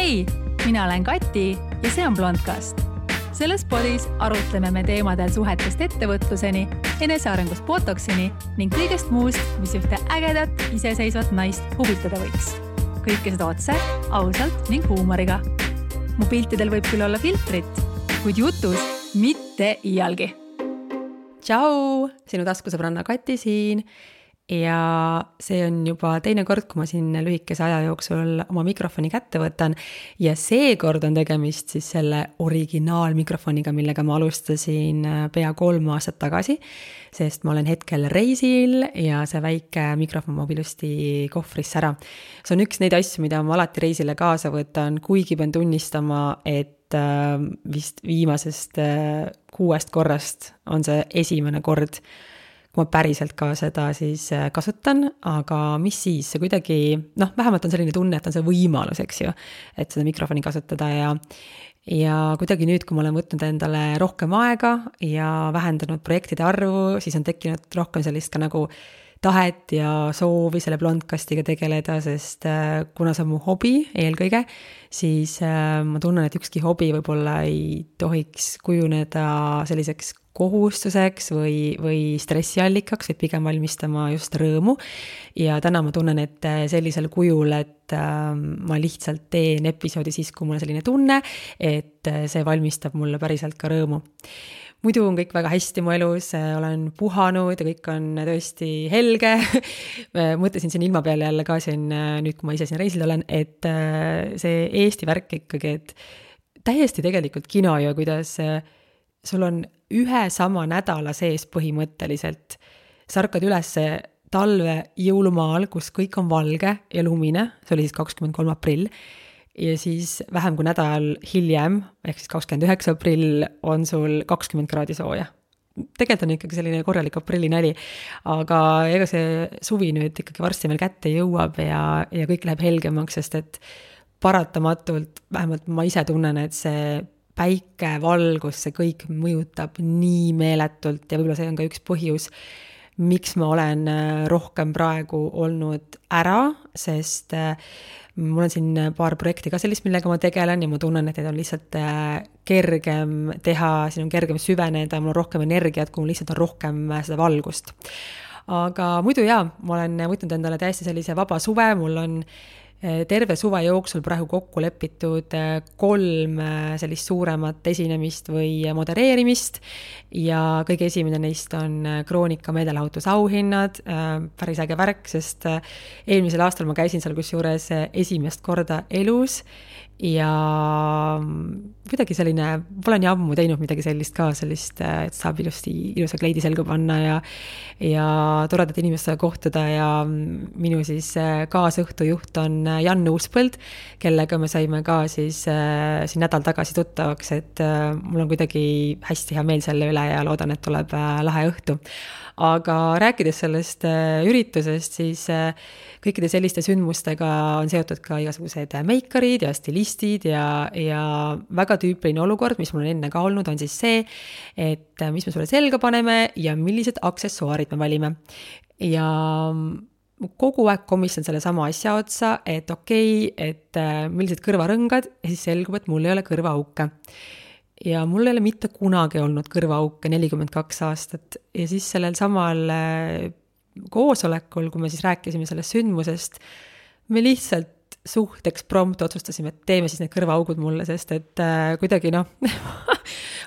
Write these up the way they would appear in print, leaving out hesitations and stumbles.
Hei, mina olen Kati ja see on Blondcast. Selles podis arutleme me teemadel suhetest ettevõtluseni, enesearengust botoksini ning kõigest muust, mis ühte ägedat, iseseisvat naist huvitada võiks. Kõike seda otse, ausalt ning huumoriga. Mu piltidel võib küll olla filtrit, kuid jutus mitte iialgi. Tšau, sinu taskusõbranna Kati siin ja see on juba teine kord, kui ma siin lühikese aja jooksul oma mikrofoni kätte võtan ja seekord on tegemist siis selle originaalmikrofoniga, millega ma alustasin pea 3 aastat tagasi, sest ma olen hetkel reisil ja see väike mikrofon ma ilusti kohvrisse ära. See on üks neid asju, mida ma alati reisile kaasa võtan, kuigi pean tunnistama, et vist viimasest 6 korrast on see esimene kord, kui ma päriselt ka seda siis kasutan, aga mis siis, see kuidagi, vähemalt on selline tunne, et on see võimalus, eks ju, et seda mikrofoni kasutada ja kuidagi nüüd, kui ma olen võtnud endale rohkem aega ja vähendanud projektide arvu, siis on tekkinud rohkem sellist ka nagu tahet ja soovi selle Blondcastiga tegeleda, sest kuna see on mu hobi eelkõige, siis ma tunnen, et ükski hobi võib-olla ei tohiks kujuneda selliseks kohustuseks või stressiallikaks, või pigem valmistama just rõõmu. Ja täna ma tunnen, et sellisel kujul, et ma lihtsalt teen episoodi siis, kui mul on selline tunne, et see valmistab mulle päriselt ka rõõmu. Muidu on kõik väga hästi mu elus, olen puhanud ja kõik on tõesti helge. Mõtlesin siin ilma peale jälle ka siin, nüüd kui ma ise siin reisil olen, et see Eesti värk ikkagi, et täiesti tegelikult kino ju, kuidas sul on ühe sama nädala sees põhimõtteliselt. Sa ärkad üles talve jõulumaal, kus kõik on valge ja lumine, see oli siis 23. aprill, ja siis vähem kui nädal hiljem, ehk siis 29. aprill, on sul 20 kraadi sooja. Tegelikult on ikkagi selline korralik aprillinäli, aga ega see suvi nüüd ikkagi varsti meil kätte jõuab ja kõik läheb helgemaks, sest et paratamatult, vähemalt ma ise tunnen, et see päike, valgus, see kõik mõjutab nii meeletult ja võib-olla see on ka üks põhjus, miks ma olen rohkem praegu olnud ära, sest mul on siin paar projekti ka sellist, millega ma tegelen ja ma tunnen, et need on lihtsalt kergem teha, siin on kergem süveneda, mul on rohkem energiat, kui mul lihtsalt on rohkem seda valgust. Aga muidu ma olen võtnud endale täiesti sellise vaba suve, mul on terve suve jooksul praegu kokku lepitud 3 sellist suuremat esinemist või modereerimist ja kõige esimene neist on Kroonika meelelahutusauhinnad, päris äge värk, sest eelmisel aastal ma käisin seal kusjuures esimest korda elus ja kuidagi selline, pole nii ammu teinud midagi sellist ka, et saab ilusa kleidi selga panna ja toredad inimestega kohtuda ja minu siis kaasõhtujuht on Jan Uuspõld, kellega me saime ka siis siin nädal tagasi tuttavaks, et mul on kuidagi hästi hea meel selle üle ja loodan, et tuleb lahe õhtu. Aga rääkides sellest üritusest, siis kõikide selliste sündmustega on seotud ka igasugused meikarid ja stilistid ja väga tüüpiline olukord, mis mul on enne ka olnud, on siis see, et mis me sulle selga paneme ja millised aksessuaarid me valime. Ja kogu aeg komistan selle sama asja otsa, et et millised kõrvarõngad ja siis selgub, et mul ei ole kõrvaauke. Ja mul ei ole mitte kunagi olnud kõrvaauke 42 aastat ja siis sellel samal koosolekul, kui me siis rääkisime sellest sündmusest, me lihtsalt suhteks prompt otsustasime, et teeme siis need kõrvaaugud mulle, sest et kuidagi ma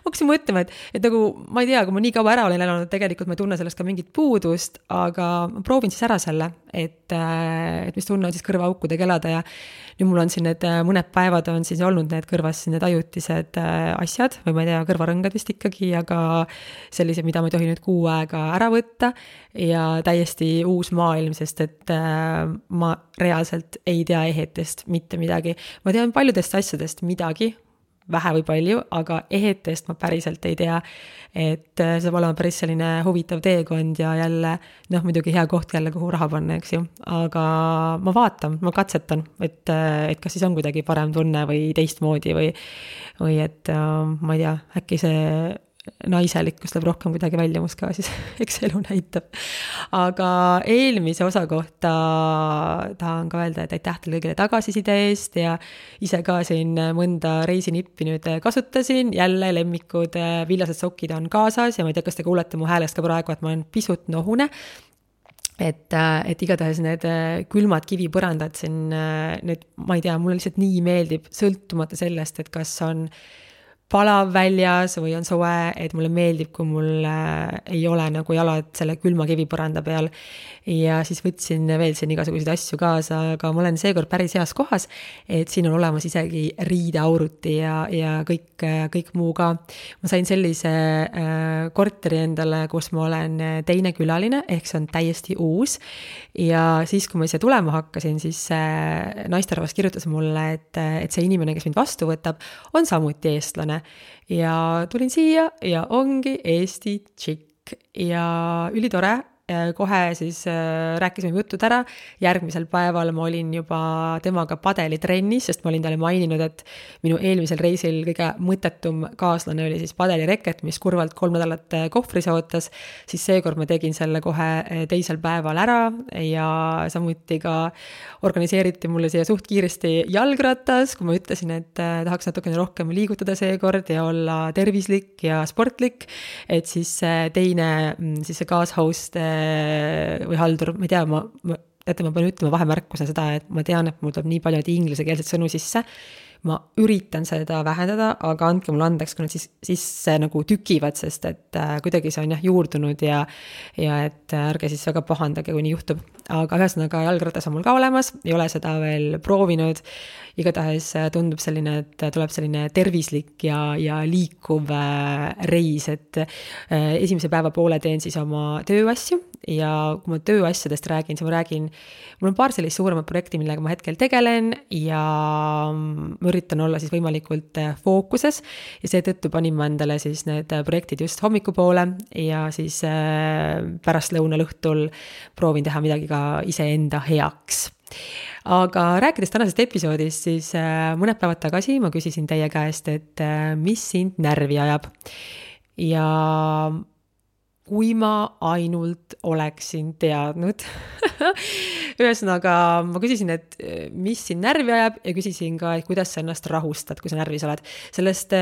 hakkasin mõtlema, et nagu ma ei tea, kui ma nii kaua ära olen elanud, tegelikult ma ei tunne sellest ka mingit puudust, aga ma proovin siis ära selle, et mis tunne on siis kõrvaaukudega elada ja nüüd mul on siin need mõned päevad on siis olnud need kõrvas need ajutised asjad või ma ei tea, kõrvarõngad vist ikkagi, aga sellised, mida ma ei tohi nüüd 6 aega ära võtta ja täiesti uus maailm, sest et ma reaalselt ei tea ehetest mitte midagi. Ma tean paljudest asjadest midagi, vähe või palju, aga ehetest ma päriselt ei tea, et see saab olema päris selline huvitav teekond ja jälle, muidugi hea koht jälle, kuhu raha panna, eks ju, aga ma vaatan, ma katsetan, et kas siis on kuidagi parem tunne või teistmoodi või et ma ei tea, äkki see naiselikkus läheb rohkem kuidagi välja must ka, siis eks elu näitab. Aga eelmise osa kohta tahan ka öelda, et aitäh teile kõigile tagasiside eest ja ise ka siin mõnda reisinippi nüüd kasutasin, jälle lemmikud villased sokid on kaasas ja ma ei tea, kas te kuulete mu häälest ka praegu, et ma olen pisut nohune. Et igatahes need külmad kivipõrandad siin, need, ma ei tea, mulle lihtsalt nii meeldib sõltumata sellest, et kas on palav väljas või on soe, et mulle meeldib, kui mul ei ole nagu jalad selle külma kivipõranda peal ja siis võtsin veel siin igasuguseid asju kaasa, aga ma olen seekord päris heas kohas, et siin on olemas isegi riideauruti ja kõik muu ka. Ma sain sellise korteri endale, kus ma olen teine külaline, ehk see on täiesti uus ja siis, kui ma ise tulema hakkasin, siis naisterahvas kirjutas mulle, et see inimene, kes mind vastu võtab, on samuti eestlane. Ja tulin siia ja ongi Eesti tšikk ja ülitore. Kohe siis rääkisime jutud ära, järgmisel päeval ma olin juba temaga padelitrennis, sest ma olin talle maininud, et minu eelmisel reisil kõige mõttetum kaaslane oli siis padelireket, mis kurvalt 3 nädalat kohvris ootas, siis seekord ma tegin selle kohe teisel päeval ära ja samuti ka organiseeriti mulle siia suht kiiresti jalgratas, kui ma ütlesin, et tahaks natukene rohkem liigutada seekord ja olla tervislik ja sportlik, et siis teine siis see kaashost või haldur, ma ei tea, ma pean ütlema vahemärkuse seda, et ma tean, et mul tuleb nii palju ingliskeelset sõnu sisse, ma üritan seda vähendada, aga andke mulle andeks, kui nad siis nagu tükivad, sest et kuidagi see on juurdunud ja et ärge siis väga pahandage, kui nii juhtub. Aga ühesõnaga jalgratas on mul ka olemas, ei ole seda veel proovinud, igatahes tundub selline, et tuleb selline tervislik ja liikuv reis, et esimese päeva poole teen siis oma tööasju ja kui ma tööasjadest räägin, siis mul on paar sellist suuremat projekti, millega ma hetkel tegelen ja ma üritan olla siis võimalikult fookuses ja seetõttu panin ma endale siis need projektid just hommikupoole ja siis pärast lõunalõhtul proovin teha midagi ka iseenda heaks. Aga rääkides tänasest episoodist, siis mõned päevad tagasi ma küsisin teie käest, et mis sind närvi ajab ja kui ma ainult oleksin teadnud. Ühesõnaga, ma küsisin, et mis sind närvi ajab ja küsisin ka, et kuidas sa ennast rahustad, kui sa närvis oled. Sellest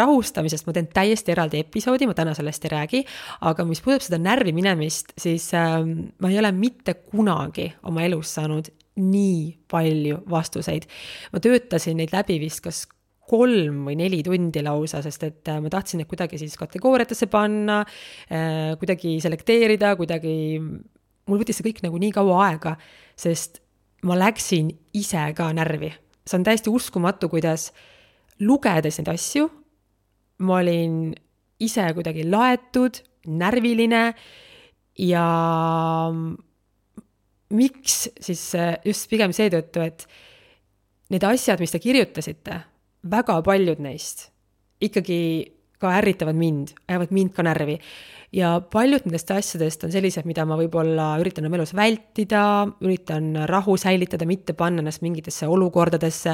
rahustamisest ma teen täiesti eraldi episoodi, ma täna sellest ei räägi, aga mis puudutab seda närvi minemist, siis ma ei ole mitte kunagi oma elus saanud nii palju vastuseid. Ma töötasin neid läbi vist kas 3 või 4 tundi lausa, sest et ma tahtsin neid kuidagi siis kategooriatesse panna, kuidagi selekteerida, mul võttis see kõik nagu nii kaua aega, sest ma läksin ise ka närvi. See on täiesti uskumatu, kuidas lugedes neid asju, ma olin ise kuidagi laetud, närviline ja miks siis just pigem seetõttu, et need asjad, mis te kirjutasite, väga paljud neist ikkagi ka ärritavad mind, ajavad mind ka närvi. Ja paljud nendest asjadest on sellised, mida ma võib-olla üritan oma elus vältida, üritan rahu säilitada, mitte panna ennast mingitesse olukordadesse,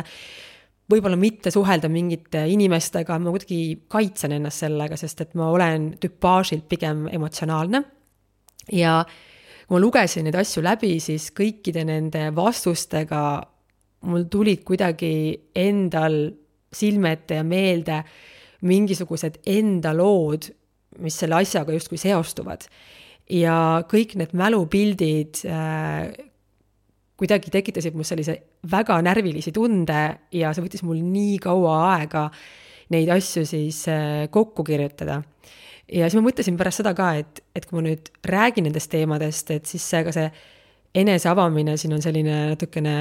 võib-olla mitte suhelda mingite inimestega, ma kuidagi kaitsen ennast sellega, sest et ma olen tüpaažilt pigem emotsionaalne. Ja kui ma lugesin neid asju läbi, siis kõikide nende vastustega mul tulid kuidagi endal silmete ja meelde mingisugused enda lood, mis selle asjaga justkui seostuvad. Ja kõik need mälupildid kuidagi tekitasid mul sellise väga närvilisi tunde ja see võttis mul nii kaua aega neid asju siis kokku kirjutada. Ja siis ma mõtlesin pärast seda ka, et kui ma nüüd räägin nendest teemadest, et siis see enese avamine siin on selline natukene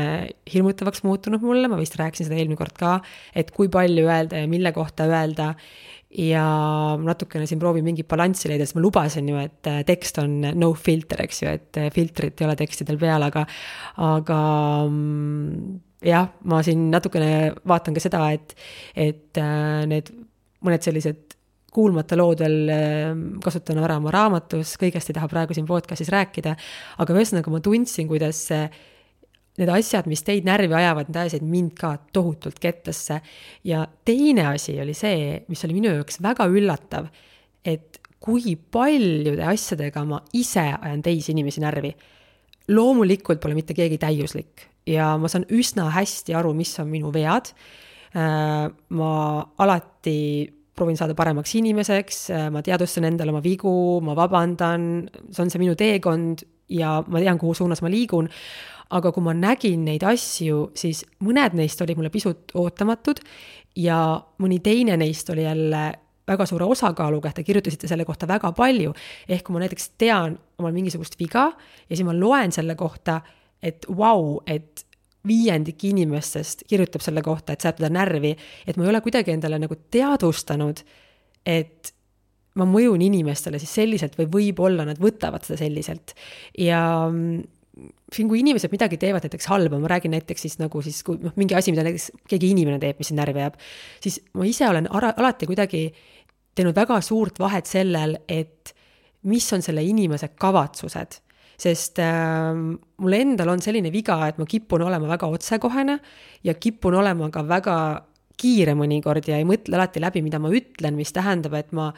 hirmutavaks muutunud mulle, ma vist rääkisin seda eelmine kord ka, et kui palju öelda ja mille kohta öelda ja natukene siin proovin mingi balanssi leida, sest ma lubasin ju, et tekst on no filter, eks ju, et filtrit ei ole tekstidel peal, aga jah, ma siin natukene vaatan ka seda, et need mõned sellised kuulmata loodel kasutan ära oma raamatus, kõigest ei taha praegu siin podcastis rääkida, aga ühesõnaga ma tundsin, kuidas need asjad, mis teid närvi ajavad, need ajasid mind ka tohutult kettasse. Ja teine asi oli see, mis oli minu jaoks väga üllatav, et kui paljude asjadega ma ise ajan teisi inimesi närvi. Loomulikult pole mitte keegi täiuslik ja ma saan üsna hästi aru, mis on minu vead. Ma alati proovin saada paremaks inimeseks, ma teadvustan endale oma vigu, ma vabandan, see on see minu teekond ja ma tean, kuhu suunas ma liigun. Aga kui ma nägin neid asju, siis mõned neist oli mulle pisut ootamatud ja mõni teine neist oli jälle väga suure osakaaluga, et te kirjutasite selle kohta väga palju. Ehk kui ma näiteks tean omal mingisugust viga ja siis ma loen selle kohta, et et 5% inimestest kirjutab selle kohta, et saab teda närvi, et ma ei ole kuidagi endale nagu teadvustanud, et ma mõjun inimestele siis selliselt või võib-olla nad võtavad seda selliselt. Ja siin, kui inimesed midagi teevad näiteks halba, ma räägin näiteks siis nagu siis, kui mingi asi, mida näiteks keegi inimene teeb, mis närvi jääb, siis ma ise olen alati kuidagi teinud väga suurt vahet sellel, et mis on selle inimese kavatsused. Sest mul endal on selline viga, et ma kipun olema väga otsekohene ja kipun olema ka väga kiire mõnikord ja ei mõtle alati läbi, mida ma ütlen, mis tähendab, et ma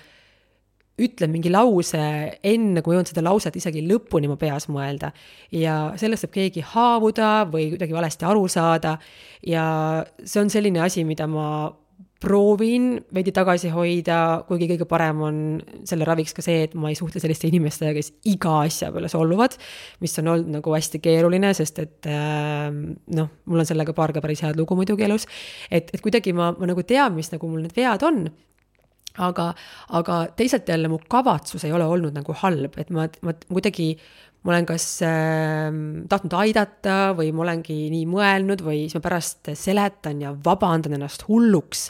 ütlen mingi lause enne, kui jõuan seda lauset isegi lõpuni ma peas mõelda. Ja sellest saab keegi haavuda või kuidagi valesti aru saada. Ja see on selline asi, mida ma proovin veidi tagasi hoida, kuigi kõige parem on selle raviks ka see, et ma ei suhtle selliste inimestega, kes iga asja peale solvuvad, mis on olnud nagu hästi keeruline, sest et mul on sellega paar ka päris head lugu muidugi elus, et kuidagi ma nagu tean, mis nagu mul need vead on. Aga teisalt jälle mu kavatsus ei ole olnud nagu halb, et ma kuidagi, ma olen kas tahtnud aidata või ma olengi nii mõelnud või siis ma pärast seletan ja vabandan ennast hulluks,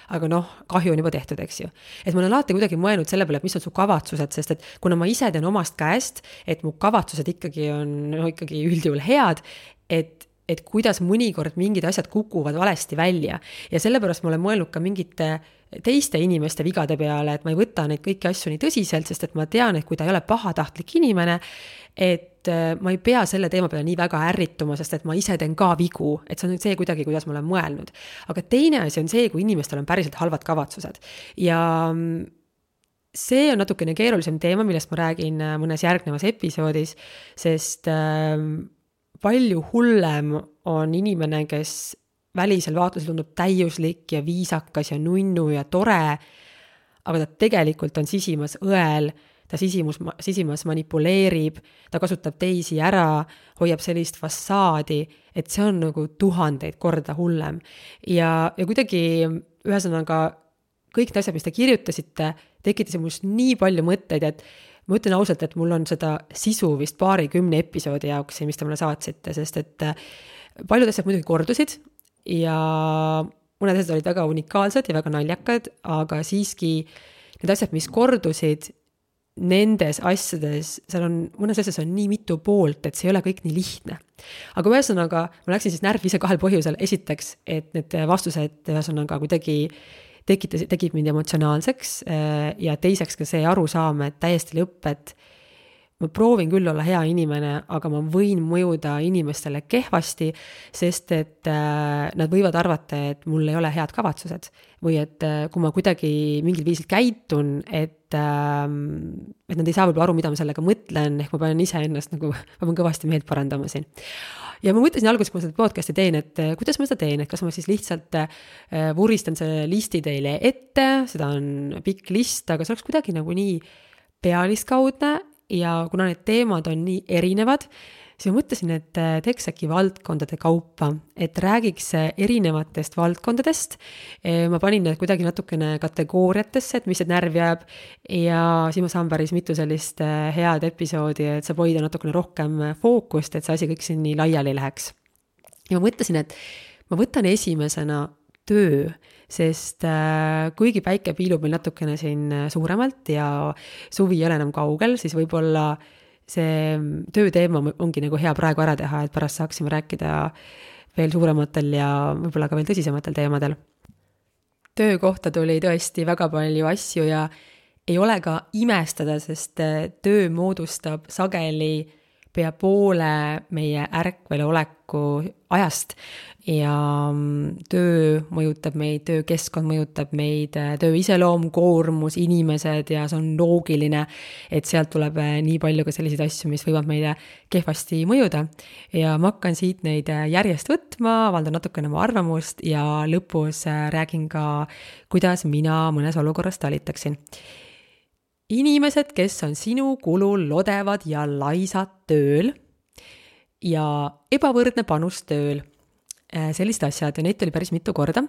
aga kahju on juba tehtud, eks ju. Et ma olen alati kuidagi mõelnud selle peale, et mis on su kavatsused, sest et kuna ma ise tean omast käest, et mu kavatsused ikkagi on ikkagi üldjuhul head, et kuidas mõnikord mingid asjad kukuvad valesti välja. Ja sellepärast ma olen mõelnud ka mingite teiste inimeste vigade peale, et ma ei võta neid kõiki asju nii tõsiselt, sest et ma tean, et kui ta ei ole pahatahtlik inimene, et ma ei pea selle teema peale nii väga ärrituma, sest et ma ise teen ka vigu, et see on see kuidagi, kuidas ma olen mõelnud. Aga teine asi on see, kui inimestel on päriselt halvad kavatsused. Ja see on natukene keerulisem teema, millest ma räägin mõnes järgnevas episoodis, sest palju hullem on inimene, kes välisel vaatlusel tundub täiuslik ja viisakas ja nunnu ja tore, aga ta tegelikult on sisimas õel, ta sisimas manipuleerib, ta kasutab teisi ära, hoiab sellist fassaadi, et see on nagu 1000 korda hullem. Ja kuidagi ühesõnaga kõik need asjad, mis te kirjutasite, tekitasid must nii palju mõtteid, et ma ütlen ausalt, et mul on seda sisu vist 20 episoodi jaoks, mis te mulle saatsite, sest et paljud asjad muidugi kordusid ja mõned asjad olid väga unikaalsed ja väga naljakad, aga siiski need asjad, mis kordusid, nendes asjades, mõnes asjades on nii mitu poolt, et see ei ole kõik nii lihtne. Aga ühesõnaga, ma läksin siis närvi ise 2 põhjusel. Esiteks, et need vastused ühesõnaga kuidagi tegid mind emotsionaalseks ja teiseks ka see arusaam, et täiesti lõpp, et ma proovin küll olla hea inimene, aga ma võin mõjuda inimestele kehvasti, sest et nad võivad arvata, et mul ei ole head kavatsused või et kui ma kuidagi mingil viisil käitun, et nad ei saa võib-olla aru, mida ma sellega mõtlen, ehk ma pean ise ennast nagu, ma pean kõvasti meelt parandama siin. Ja ma mõtlesin alguses, kui ma seda podcasti teen, et kuidas ma seda teen, et kas ma siis lihtsalt vuristan selle listi teile ette, seda on pikk list, aga see oleks kuidagi nagu nii pealiskaudne ja kuna need teemad on nii erinevad, siis ma mõtlesin, et teeks äkki valdkondade kaupa, et räägiks erinevatest valdkondadest. Ma panin need kuidagi natukene kategooriatesse, et mis see närv jääb ja siis ma saan päris mitu sellist head episoodi, et saab hoida natukene rohkem fookust, et see asi kõik siin nii laiali läheks. Ja ma mõtlesin, et ma võtan esimesena töö, sest kuigi päike piilub meil natukene siin suuremalt ja suvi ei ole enam kaugel, siis võib-olla see tööteema ongi nagu hea praegu ära teha, et pärast saaksime rääkida veel suurematel ja võib-olla ka veel tõsisematel teemadel. Töö kohta tuli tõesti väga palju asju ja ei ole ka imestada, sest töö moodustab sageli pea poole meie ärkvel oleku ajast ja töö mõjutab meid, töökeskkond mõjutab meid, töö iseloom, koormus, inimesed ja see on loogiline, et sealt tuleb nii palju ka selliseid asju, mis võivad meile kehvasti mõjuda. Ja ma hakkan siit neid järjest võtma, avaldan natukene oma arvamust ja lõpus räägin ka, kuidas mina mõnes olukorras talitaksin. Inimesed, kes on sinu kulul lodevad ja laisad tööl ja ebavõrdne panus tööl, sellised asjad ja neid oli päris mitu korda.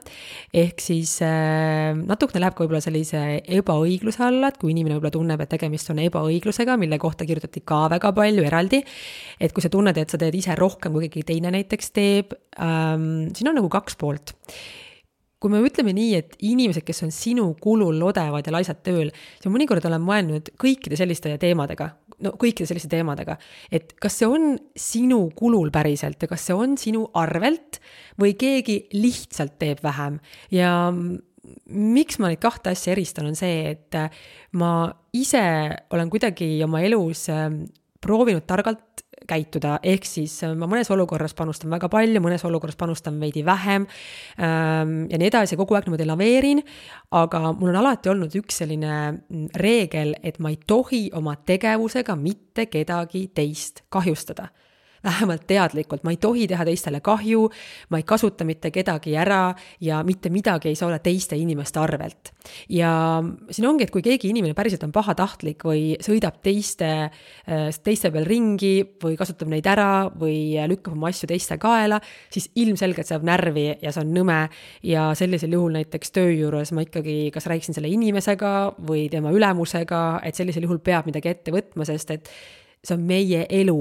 Ehk siis natukene läheb ka võib-olla sellise ebaõigluse alla, et kui inimene võib-olla tunneb, et tegemist on ebaõiglusega, mille kohta kirjutati ka väga palju eraldi, et kui sa tunned, et sa teed ise rohkem, kui keegi teine näiteks teeb, siin on nagu kaks poolt. Kui me ütleme nii, et inimesed, kes on sinu kulul lodevad ja laisad tööl, siis mõnikord olen mõelnud kõikide selliste teemadega, et kas see on sinu kulul päriselt ja kas see on sinu arvelt või keegi lihtsalt teeb vähem. Ja miks ma neid kahte asja eristan on see, et ma ise olen kuidagi oma elus proovinud targalt käituda, ehk siis ma mõnes olukorras panustan väga palju, mõnes olukorras panustan veidi vähem ja nii edasi, kogu aeg niimoodi laveerin, aga mul on alati olnud üks selline reegel, et ma ei tohi oma tegevusega mitte kedagi teist kahjustada. Vähemalt teadlikult, ma ei tohi teha teistele kahju, ma ei kasuta mitte kedagi ära ja mitte midagi ei saa olla teiste inimeste arvelt. Ja siin ongi, et kui keegi inimene päriselt on pahatahtlik või sõidab teiste peal ringi või kasutab neid ära või lükkab oma asju teiste kaela, siis ilmselgelt saab närvi ja see on nõme ja sellisel juhul näiteks töö juures ma ikkagi kas rääksin selle inimesega või tema ülemusega, et sellisel juhul peab midagi ette võtma, sest et see on meie elu.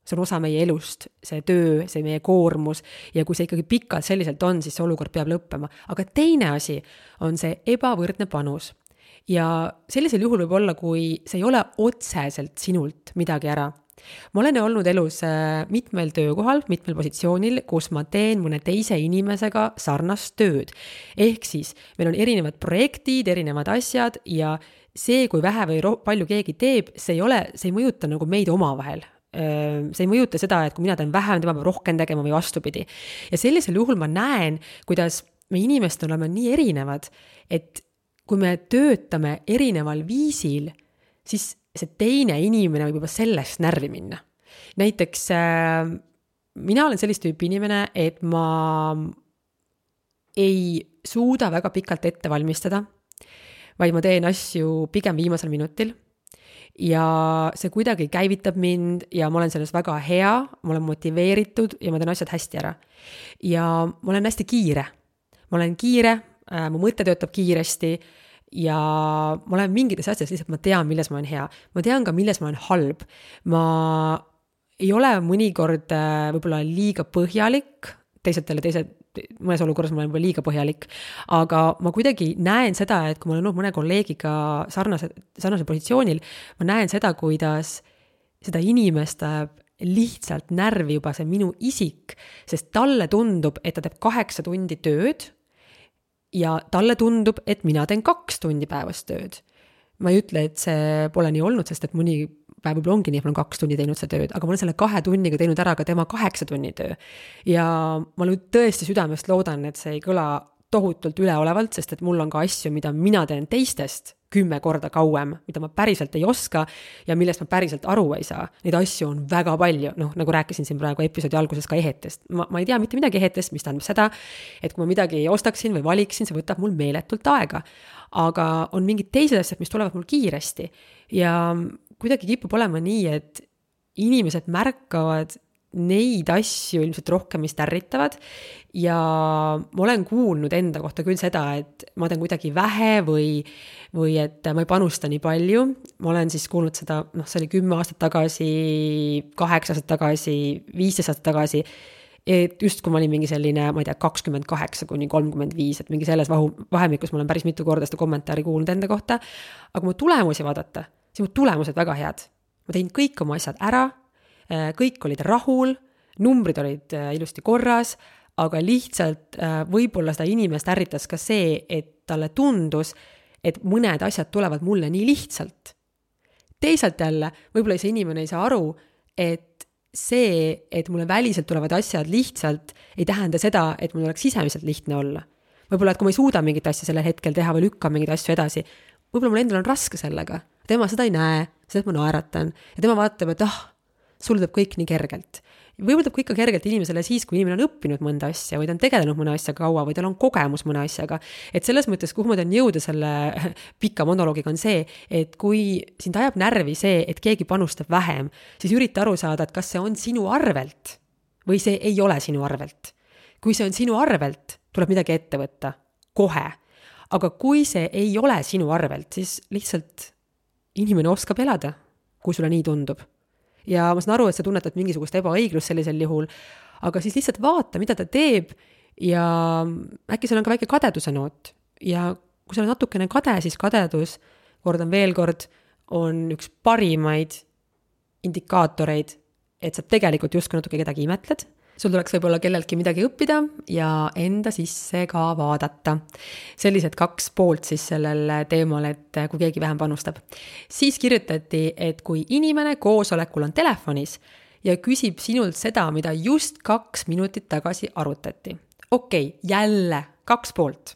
See on osa meie elust, see töö, see meie koormus ja kui see ikkagi pikalt selliselt on, siis see olukord peab lõppema. Aga teine asi on see ebavõrdne panus. Ja sellisel juhul võib olla, kui see ei ole otseselt sinult midagi ära. Ma olen olnud elus mitmel töökohal, mitmel positsioonil, kus ma teen mõne teise inimesega sarnast tööd. Ehk siis meil on erinevad projektid, erinevad asjad ja see, kui vähe või palju keegi teeb, see ei mõjuta nagu meid omavahel. See ei mõjuta seda, et kui mina teen vähem, tema peab rohkem tegema või vastupidi. Ja sellisel juhul ma näen, kuidas me inimesed oleme nii erinevad, et kui me töötame erineval viisil, siis see teine inimene võib juba sellest närvi minna. Näiteks mina olen sellist tüüpi inimene, et ma ei suuda väga pikalt ette valmistada, vaid ma teen asju pigem viimasel minutil. Ja see kuidagi käivitab mind ja ma olen selles väga hea, ma olen motiveeritud ja ma teen asjad hästi ära. Ja ma olen hästi kiire. Mu mõte töötab kiiresti ja ma olen mingites asjades lihtsalt ma tean, milles ma olen hea. Ma tean ka, milles ma olen halb. Ma ei ole mõnikord võib-olla liiga põhjalik, mõnes olukorras ma olen liiga põhjalik, aga ma kuidagi näen seda, et kui ma olen olnud mõne kolleegiga sarnasel positsioonil, ma näen seda, kuidas seda inimest lihtsalt närvi juba see minu isik, sest talle tundub, et ta teeb 8 tundi tööd ja talle tundub, et mina teen 2 tundi päevas tööd. Ma ei ütle, et see pole nii olnud, sest et mõni päev võib-olla ongi nii, et ma olen 2 tundi teinud seda tööd, aga ma olen selle 2 tunniga teinud ära ka tema 8 tunni töö. Ja ma tõesti südamest loodan, et see ei kõla tohutult üleolevalt, sest et mul on ka asju, mida mina teen teistest 10 korda kauem, mida ma päriselt ei oska ja millest ma päriselt aru ei saa. Neid asju on väga palju, nagu rääkisin siin praegu episoodi alguses ka ehetest. Ma ei tea mitte midagi ehetest, mis tähendab seda, et kui ma midagi ostaksin või valiksin, see võtab mul meeletult aega. Aga on mingid teised asjad, mis tulevad mul kiiresti ja kuidagi kipub olema nii, et inimesed märkavad neid asju ilmselt rohkem, mis tärritavad ja ma olen kuulnud enda kohta küll seda, et ma teen kuidagi vähe või et ma ei panusta nii palju. Ma olen siis kuulnud seda, see oli 10 aastat tagasi, 8 aastat tagasi, 15 aastat tagasi, et just kui ma olin mingi selline, ma ei tea, 28 kuni 35, et mingi selles vahemikus ma olen päris mitu korda seda kommentaari kuulnud enda kohta, aga mu tulemusi vaadata, siis mu tulemused väga head. Ma tein kõik oma asjad ära, kõik olid rahul, numbrid olid ilusti korras, aga lihtsalt võib-olla seda inimest ärritas ka see, et talle tundus, et mõned asjad tulevad mulle nii lihtsalt. Teisalt jälle, võib-olla see inimene ei saa aru, et see, et mulle väliselt tulevad asjad lihtsalt, ei tähenda seda, et mul oleks sisemiselt lihtne olla. Võib-olla, et kui ma ei suuda mingit asja sellel hetkel teha või lükka mingit asju edasi, võib-olla mul endal on raske sellega. Tema seda ei näe, seda ma naeratan ja tema vaatab, et sul tuleb kõik nii kergelt. Võib-olla tuleb ikka kergelt inimesele siis, kui inimene on õppinud mõnda asja või ta on tegelenud mõne asja kaua või tal on kogemus mõne asjaga. Et selles mõttes, kuhu ma tahan jõuda selle pika monoloogiga on see, et kui sind ajab närvi see, et keegi panustab vähem, siis ürita aru saada, et kas see on sinu arvelt või see ei ole sinu arvelt. Kui see on sinu arvelt, tuleb midagi ette võtta, kohe. Aga kui see ei ole sinu arvelt, siis lihtsalt inimene oskab elada, kui sulle nii tundub. Ja ma saan aru, et sa tunnetad mingisugust ebaõiglust sellisel juhul, aga siis lihtsalt vaata, mida ta teeb ja äkki seal on ka väike kadeduse noot. Ja kui sa oled natukene kade, siis kadedus, kordan veel kord, on üks parimaid indikaatoreid, et sa tegelikult justkui natuke kedagi imetled. Sul tuleks võib-olla kelleltki midagi õppida ja enda sisse ka vaadata. Sellised 2 poolt siis sellel teemal, et kui keegi vähem panustab. Siis kirjutati, et kui inimene koosolekul on telefonis ja küsib sinult seda, mida just 2 minutit tagasi arutati. Okei, jälle 2 poolt.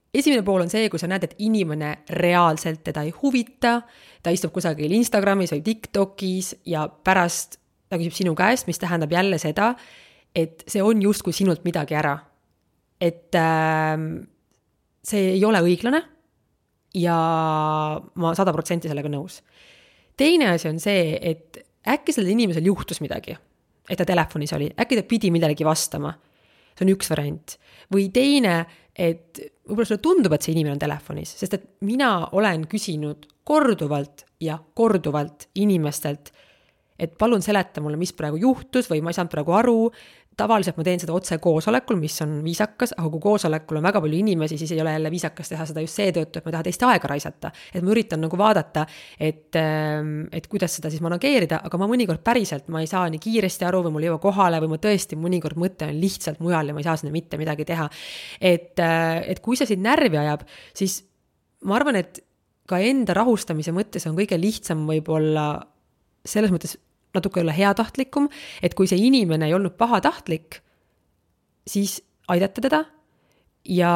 Esimene pool on see, kui sa näed, et inimene reaalselt teda ei huvita, ta istub kusagil Instagramis või TikTokis ja pärast ta küsib sinu käest, mis tähendab jälle seda, et see on justkui sinult midagi ära. Et see ei ole õiglane ja ma 100% sellega nõus. Teine asi on see, et äkki sellel inimesel juhtus midagi, et ta telefonis oli, äkki ta pidi midagi vastama. See on üks variant. Või teine, et võib-olla sulle tundub, et see inimene on telefonis, sest et mina olen küsinud korduvalt ja korduvalt inimestelt, et palun seleta mulle, mis praegu juhtus või ma ei saanud praegu aru. Tavaliselt ma teen seda otse koosolekul, mis on viisakas, aga kui koosolekul on väga palju inimesi, siis ei ole jälle viisakas teha seda just seetõttu, et ma tahan teist aega raisata. Et ma üritan nagu vaadata, et kuidas seda siis manageerida, aga ma mõnikord päriselt, ma ei saa nii kiiresti aru või mul ei jõua kohale või ma tõesti mõnikord mõte on lihtsalt mujal ja ma ei saa sinna mitte midagi teha. Et kui see sind närvi ajab, siis ma arvan, et ka enda rahustamise mõttes on kõige lihtsam võib-olla selles mõttes natuke olla heatahtlikum, et kui see inimene ei olnud pahatahtlik, siis aidata teda ja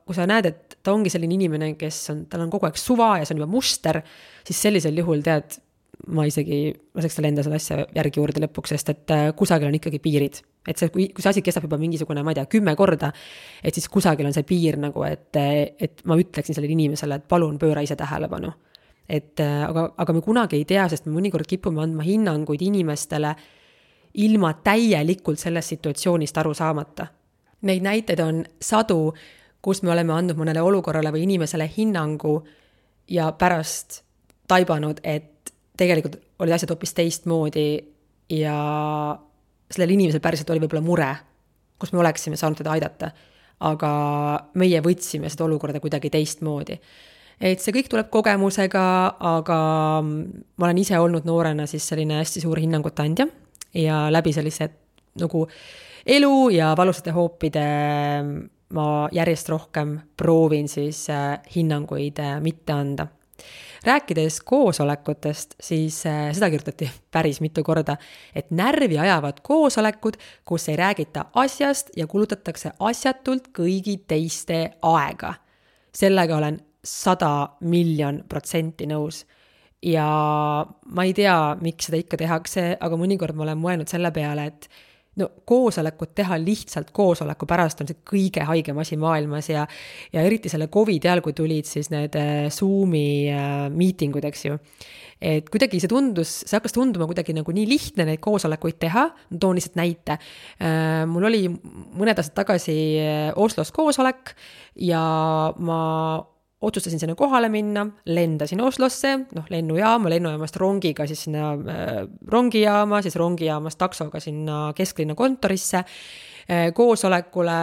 kui sa näed, et ta ongi selline inimene, tal on kogu aeg suva ja see on juba muster, siis sellisel juhul tead, ma isegi laseks tal enda seda asja järgi juurde lõpuks, sest et kusagil on ikkagi piirid. Et see, kui see asi kestab juba mingisugune, ma ei tea, 10 korda, et siis kusagil on see piir nagu, et ma ütleksin sellele inimesele, et palun pööra ise tähelepanu. Aga me kunagi ei tea, sest me mõnikord kipume andma hinnanguid inimestele ilma täielikult sellest situatsioonist aru saamata. Neid näiteid on 100, kus me oleme andnud mõnele olukorrale või inimesele hinnangu ja pärast taibanud, et tegelikult olid asjad hoopis teistmoodi ja sellel inimesel päriselt oli võib-olla mure, kus me oleksime saanud teda aidata, aga meie võtsime seda olukorda kuidagi teistmoodi. Et see kõik tuleb kogemusega, aga ma olen ise olnud noorena siis selline hästi suur hinnangute andja ja läbi sellised nagu elu ja valusate hoopide ma järjest rohkem proovin siis hinnanguid mitte anda. Rääkides koosolekutest, siis seda kirjutati päris mitu korda, et närvi ajavad koosolekud, kus ei räägita asjast ja kulutatakse asjatult kõigi teiste aega. Sellega olen 100,000,000% nõus. Ja ma ei tea, miks seda ikka tehakse, aga mõnikord ma olen mõelnud selle peale, et koosolekut teha lihtsalt koosoleku pärast on see kõige haigem asi maailmas ja eriti selle COVID ajal, kui tulid siis need Zoomi miitingud, eks ju. Et kuidagi see hakkas tunduma kuidagi nagu nii lihtne neid koosolekuid teha, toon lihtsalt näite. Mul oli mõned aastad tagasi Oslos koosolek ja ma otsustasin sinna kohale minna, lendasin Oslosse, lennujaamast rongiga siis sinna rongijaama, siis rongijaamast taksoga sinna kesklinna kontorisse, koosolekule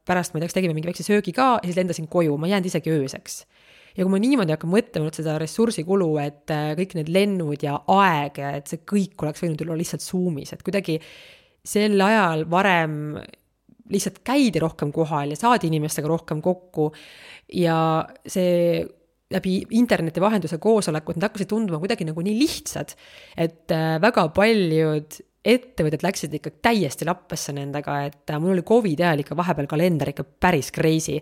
pärast, ma ei tea, tegime mingi väikse söögi ka ja siis lendasin koju, ma jäänud isegi ööseks. Ja kui ma niimoodi hakkan mõtlema seda ressursikulu, et kõik need lennud ja aeg, et see kõik oleks võinud olla lihtsalt Zoomis, et kuidagi sel ajal varem lihtsalt käidi rohkem kohal ja saadi inimestega rohkem kokku ja see läbi interneti vahenduse koosolekud, need hakkasid tunduma kuidagi nagu nii lihtsad, et väga paljud ettevõtted läksid ikka täiesti lappesse nendega, et mul oli COVID ajal ikka vahepeal kalender ikka päris crazy.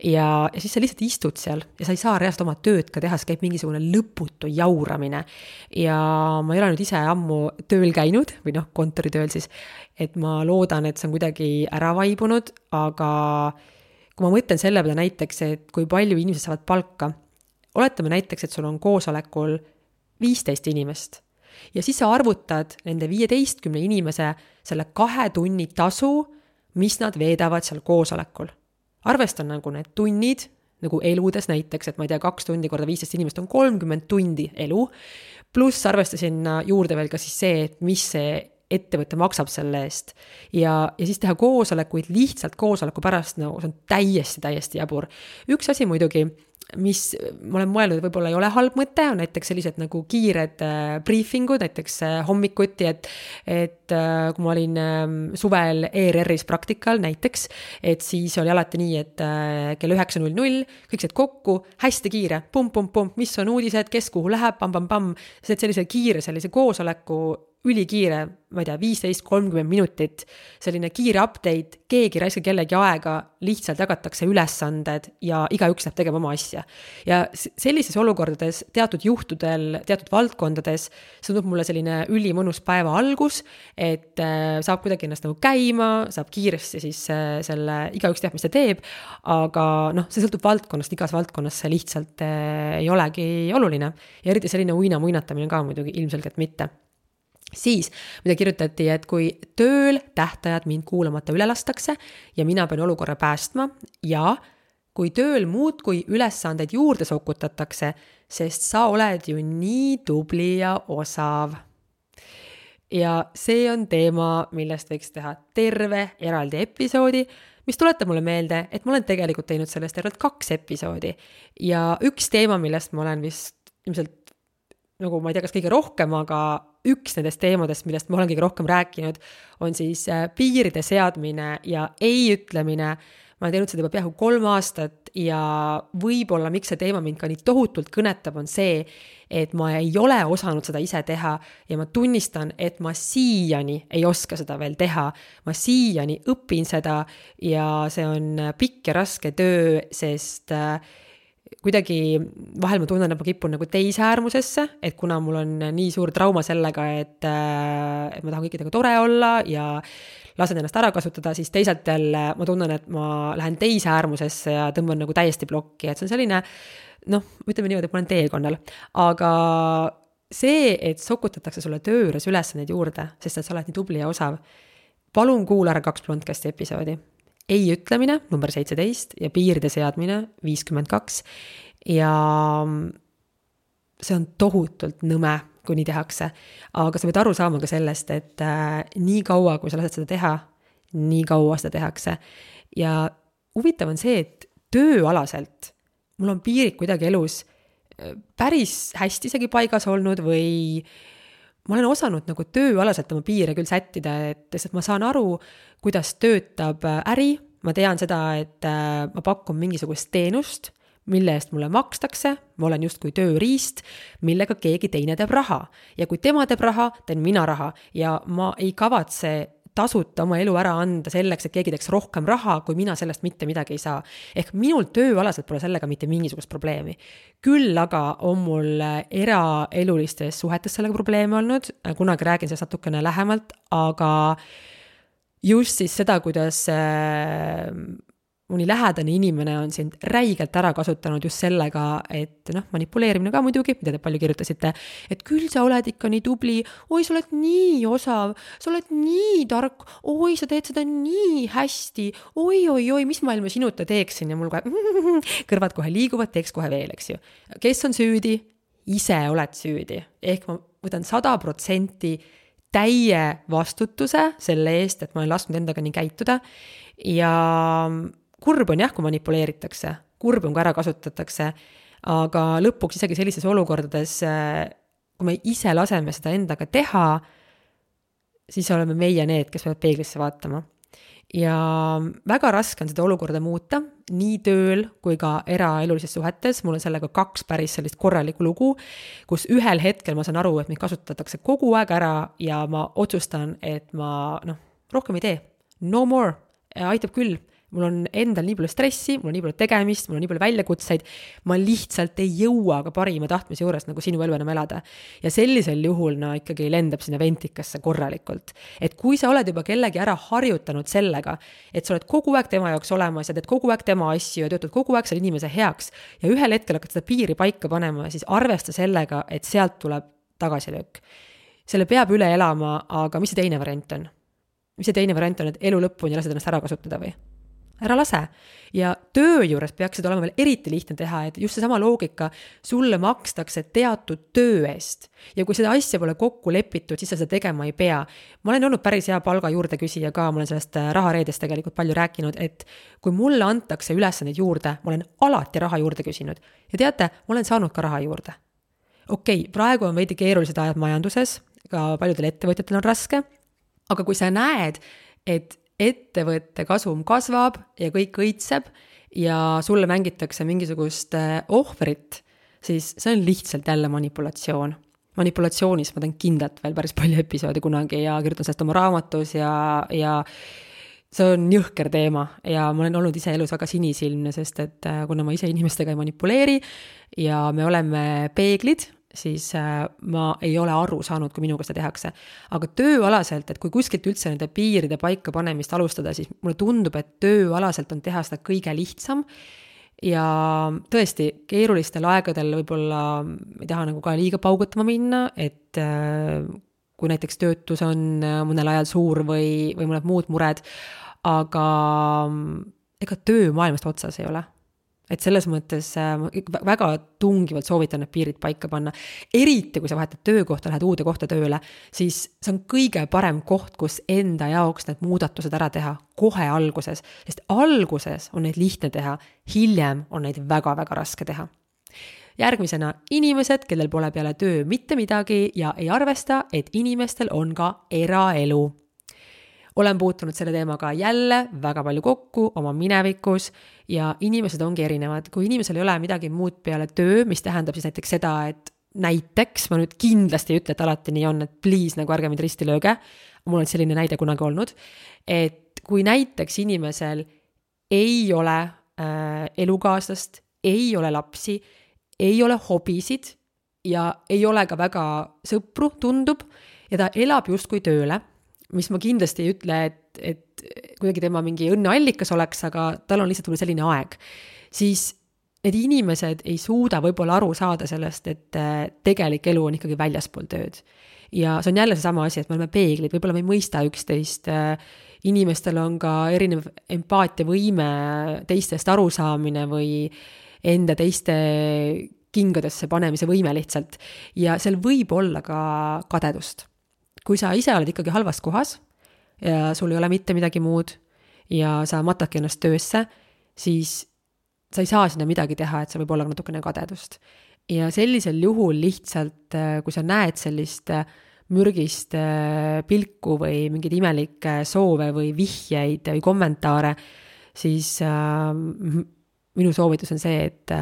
Ja siis sa lihtsalt istud seal ja sa ei saa reaalselt oma tööd ka teha, see käib mingisugune lõputu jauramine. Ja ma ei ole nüüd ise ammu tööl käinud, või kontoritööl siis, et ma loodan, et see on kuidagi ära vaibunud, aga kui ma mõtlen selle peale näiteks, et kui palju inimesed saavad palka, oletame näiteks, et sul on koosolekul 15 inimest, ja siis sa arvutad nende 15 inimese selle 2 tunni tasu, mis nad veedavad seal koosolekul. Arvestan nagu need tunnid, nagu eludes näiteks, et ma ei tea, 2 tundi korda 15 inimest on 30 tundi elu, pluss arvestasin juurde veel ka siis see, et mis see ettevõte maksab selle eest. Ja siis teha koosolekuid lihtsalt koosoleku pärast, see on täiesti jabur. Üks asi muidugi, mis ma olen mõelnud, võib-olla ei ole halb mõte, on näiteks sellised nagu kiired briefingud, näiteks hommikuti, et kui ma olin suvel ERR-is praktikal näiteks, et siis oli alati nii, et kell 9.00 kõik said kokku, hästi kiire, pump, mis on uudised, kes kuhu läheb, pam, sellise kiire, sellise koosoleku ülikiire, ma ei tea, 15-30 minutit, selline kiire update, keegi raiska kellegi aega, lihtsalt jagatakse ülesanded ja igaüks läheb tegema oma asja. Ja sellises olukordades, teatud juhtudel, teatud valdkondades, see tundub mulle selline ülimõnus päeva algus, et saab kuidagi ennast nagu käima, saab kiiresti siis selle, igaüks teab, mis ta teeb, aga see sõltub valdkonnast, igas valdkonnas see lihtsalt ei olegi oluline. Ja eriti selline uina-muinatamine ka muidugi ilmselgelt mitte. Siis, mida kirjutati, et kui tööl tähtajad mind kuulamata üle lastakse ja mina pean olukorra päästma ja kui tööl muudkui ülesandeid juurde sokutatakse, sest sa oled ju nii tubli ja osav. Ja see on teema, millest võiks teha terve eraldi episoodi, mis tuletab mulle meelde, et ma olen tegelikult teinud sellest tervelt 2 episoodi. Ja üks teema, millest ma olen vist ilmselt nagu ma ei tea, kas kõige rohkem, aga üks nendest teemadest, millest ma olen kõige rohkem rääkinud, on siis piiride seadmine ja ei ütlemine. Ma olen teinud seda juba peaaegu 3 aastat ja võib-olla miks see teema mind ka nii tohutult kõnetab on see, et ma ei ole osanud seda ise teha ja ma tunnistan, et ma siiani ei oska seda veel teha. Ma siiani õpin seda ja see on pikk ja raske töö, sest kuidagi vahel ma tunnen, et ma kipun nagu teise äärmusesse, et kuna mul on nii suur trauma sellega, et ma tahan kõikidega tore olla ja lasen ennast ära kasutada, siis teisalt jälle ma tunnen, et ma lähen teise äärmusesse ja tõmban nagu täiesti plokki, et see on selline, ütleme niimoodi, et ma olen teekonnal. Aga see, et sokutatakse sulle töö juures ülesandeid juurde, sest et sa oled nii tubli ja osav, palun kuula ära 2 Blondcasti episoodi. Ei ütlemine, number 17 ja piiride seadmine 52 ja see on tohutult nõme, kui nii tehakse, aga sa võid aru saama ka sellest, et nii kaua, kui sa lased seda teha, nii kaua seda tehakse ja huvitav on see, et tööalaselt mul on piirid kuidagi elus päris hästi isegi paigas olnud või ma olen osanud nagu tööalaselt oma piire küll sättida, et ma saan aru, kuidas töötab äri, ma tean seda, et ma pakun mingisugust teenust, mille eest mulle makstakse, ma olen justkui tööriist, millega keegi teine teeb raha. Ja kui tema teeb raha, teen mina raha ja ma ei kavatse tasuta oma elu ära anda selleks, et keegi teeks rohkem raha, kui mina sellest mitte midagi ei saa. Ehk minul tööalaselt pole sellega mitte mingisugust probleemi. Küll aga on mul eraelulistes suhetes sellega probleeme olnud, kunagi räägin sellest natukene lähemalt, aga just siis seda, kuidas mõni lähedane inimene on sind räigelt ära kasutanud just sellega, et manipuleerimine ka muidugi, mida te palju kirjutasite, et küll sa oled ikka nii tubli, oi, sa oled nii osav, sa oled nii tark, oi, sa teed seda nii hästi, oi, mis ma ilma sinuta teeksin ja mul kõrvad kohe liiguvad, teeks kohe veel, eks ju. Kes on süüdi? Ise oled süüdi. Ehk ma võtan 100% täie vastutuse selle eest, et ma olen lasknud endaga nii käituda ja kurb on jah, kui manipuleeritakse, kurb on kui ära kasutatakse, aga lõpuks isegi sellises olukordades, kui me ise laseme seda endaga teha, siis oleme meie need, kes peavad peeglisse vaatama. ja väga raske on seda olukorda muuta, nii tööl kui ka eraelulises suhetes. Mul on sellega 2 päris sellist korralikku lugu, kus ühel hetkel ma saan aru, et mind kasutatakse kogu aeg ära ja ma otsustan, et ma rohkem ei tee. No more, aitab küll. Mul on endal nii palju stressi, mul on nii palju tegemist, mul on nii palju väljakutseid, ma lihtsalt ei jõua ka parima tahtmise juures nagu sinu elu enam elada. Ja sellisel juhul ikkagi lendab sinna ventikasse korralikult. Et kui sa oled juba kellegi ära harjutanud sellega, et sa oled kogu aeg tema jaoks olemas ja teed kogu aeg tema asju ja töötad kogu aeg selle inimese heaks ja ühel hetkel hakkad seda piiri paika panema, siis arvesta sellega, et sealt tuleb tagasilöök. Selle peab üle elama, aga mis see teine variant on? Mis see teine variant on, et elu lõpuni lased ennast ära kasutada või? Ära lase. Ja töö juures peaks seda olema veel eriti lihtne teha, et just seesama loogika, sulle makstakse teatud töö eest. Ja kui seda asja pole kokku lepitud, siis sa seda tegema ei pea. Ma olen olnud päris hea palga juurde küsija ka, ma olen sellest rahareedest tegelikult palju rääkinud, et kui mulle antakse ülesandeid juurde, ma olen alati raha juurde küsinud. Ja teate, ma olen saanud ka raha juurde. Okei, praegu on veidi keerulised ajad majanduses, ka paljudel ettevõtjatel on raske, aga kui sa näed, et ettevõtte kasum kasvab ja kõik õitseb ja sulle mängitakse mingisugust ohvrit, siis see on lihtsalt jälle manipulatsioon. Manipulatsioonis ma teen kindlalt veel päris palju episoodi kunagi ja kirjutan sellest oma raamatus ja see on jõhker teema ja ma olen olnud ise elus väga sinisilmne, sest et kuna ma ise inimestega ei manipuleeri ja me oleme peeglid, siis ma ei ole aru saanud, kui minuga seda tehakse. Aga tööalaselt, et kui kuskilt üldse nende piiride paika panemist alustada, siis mulle tundub, et tööalaselt on teha seda kõige lihtsam ja tõesti keerulistel aegadel võib-olla ei taha nagu ka liiga paugutama minna, et kui näiteks töötus on mõnel ajal suur või mõned muud mured, aga ega töö maailmast otsas ei ole. Et selles mõttes väga tungivalt soovitan need piirid paika panna. Eriti, kui sa vahetad töökohta, lähed uude kohta tööle, siis see on kõige parem koht, kus enda jaoks need muudatused ära teha kohe alguses. Sest alguses on neid lihtne teha, hiljem on neid väga-väga raske teha. Järgmisena inimesed, kellel pole peale töö mitte midagi ja ei arvesta, et inimestel on ka eraelu. Olen puutunud selle teemaga jälle väga palju kokku oma minevikus ja inimesed ongi erinevad. Kui inimesel ei ole midagi muud peale töö, mis tähendab siis näiteks seda, et näiteks, ma nüüd kindlasti ei ütle, et alati nii on, et please nagu ärge mind risti lööge, mul on selline näide kunagi olnud, et kui näiteks inimesel ei ole elukaaslast, ei ole lapsi, ei ole hobisid ja ei ole ka väga sõpru, tundub, ja ta elab justkui tööle, mis ma kindlasti ei ütle, et kuidagi tema mingi õnneallikas oleks, aga tal on lihtsalt selline aeg, siis need inimesed ei suuda võib-olla aru saada sellest, et tegelik elu on ikkagi väljaspool tööd. Ja see on jälle seesama asi, et me oleme peeglid, võib-olla me ei mõista üksteist, inimestel on ka erinev empaatiavõime, teistest arusaamine või enda teiste kingadesse panemise võime lihtsalt. Ja seal võib olla ka kadedust. Kui sa ise oled ikkagi halvas kohas ja sul ei ole mitte midagi muud ja sa matadki ennast töösse, siis sa ei saa sinna midagi teha, et see võib olla natukene kadedust. Ja sellisel juhul lihtsalt, kui sa näed sellist mürgist pilku või mingeid imelikke soove või vihjeid või kommentaare, siis minu soovitus on see, et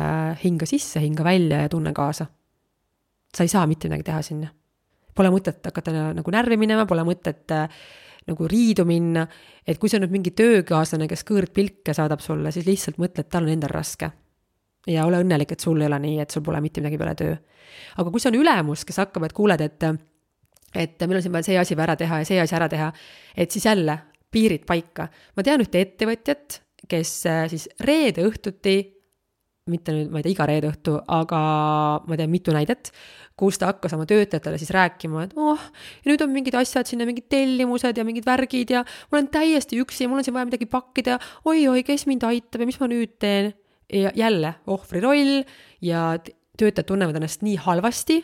hinga sisse, hinga välja ja tunne kaasa. Sa ei saa mitte midagi teha sinna. Pole mõtet hakata nagu närvi minema, pole mõtet nagu riidu minna, et kui see on nüüd mingi töökaaslane, kes kõõrdpilke saadab sulle, siis lihtsalt mõtle, et tal on endal raske. Ja ole õnnelik, et sul ei ole nii, et sul pole mitte midagi peale töö. Aga kui see on ülemus, kes hakkab, et kuuled, et meil on siin vaja see asi ära teha ja see asi ära teha, et siis jälle piirid paika. Ma tean ühte ettevõtjat, kes siis reede õhtuti, mitte nüüd, ma ei tea, iga reede õhtu, aga ma tean mitu näidet, kus ta hakkas oma töötajatele siis rääkima, et ja nüüd on mingid asjad sinna, mingid tellimused ja mingid värgid ja mul on täiesti üksi ja mul on siin vaja midagi pakkida, oi, kes mind aitab ja mis ma nüüd teen. Ja jälle ohvri roll ja töötajad tunnevad ennast nii halvasti,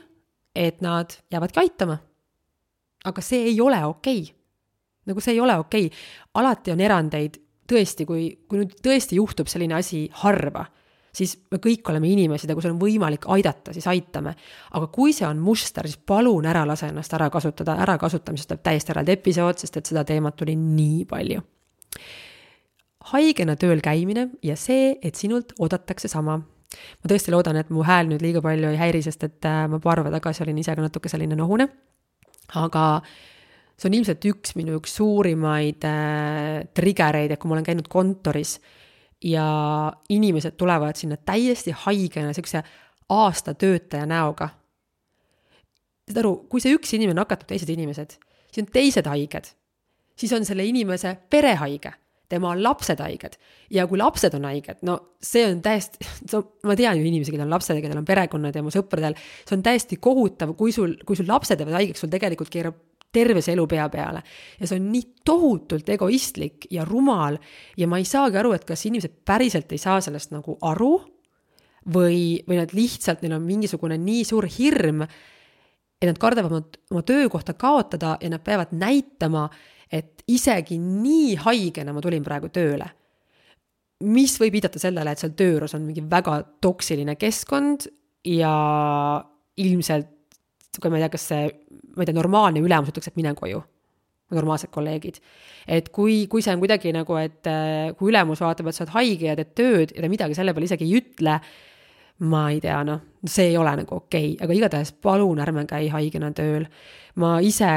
et nad jäävadki aitama. Aga see ei ole okei. Nagu see ei ole okei. Alati on erandeid, tõesti, kui nüüd tõesti juhtub selline asi harva, siis me kõik oleme inimesed ja kui see on võimalik aidata, siis aitame. Aga kui see on muster, siis palun ära lase ennast ära kasutada. Ära kasutamisest tuleb täiesti eraldi episood, sest et seda teemat tuli nii palju. haigena tööl käimine ja see, et sinult oodatakse sama. Ma tõesti loodan, et mu hääl nüüd liiga palju ei häiri, sest et ma paar päeva tagasi olin ise ka natuke selline nohune. Aga see on ilmselt üks suurimaid triggereid, et kui ma olen käinud kontoris ja inimesed tulevad sinna täiesti haigena, sellise aastatöötaja näoga. Aru, kui see üks inimene nakatab teised inimesed, siis on teised haiged, siis on selle inimese perehaige, tema lapsed haiged ja kui lapsed on haiged, no see on täiesti, ma tean ju inimesi, kellel on lapsed, kellel on perekonnad ja mu sõpradel, see on täiesti kohutav, kui sul lapsed jäävad haigeks, sul tegelikult keerab terve see elu pea peale ja see on nii tohutult egoistlik ja rumal ja ma ei saagi aru, et kas inimesed päriselt ei saa sellest nagu aru või nad lihtsalt, neil on mingisugune nii suur hirm, et nad kardavad oma töökohta kaotada ja nad peavad näitama, et isegi nii haigena ma tulin praegu tööle. Mis võib viidata sellele, et seal tööros on mingi väga toksiline keskkond ja ilmselt, kui ma ei tea, kas see normaalne ülemus ütleks, et mine koju, normaalsed kolleegid. Et kui see on kuidagi nagu, et kui ülemus vaatab, et sa oled haige ja teed tööd ja ta midagi selle peale isegi ei ütle, ma ei tea, see ei ole nagu okei, aga igatahes palun ärme käi haigena tööl. Ma ise,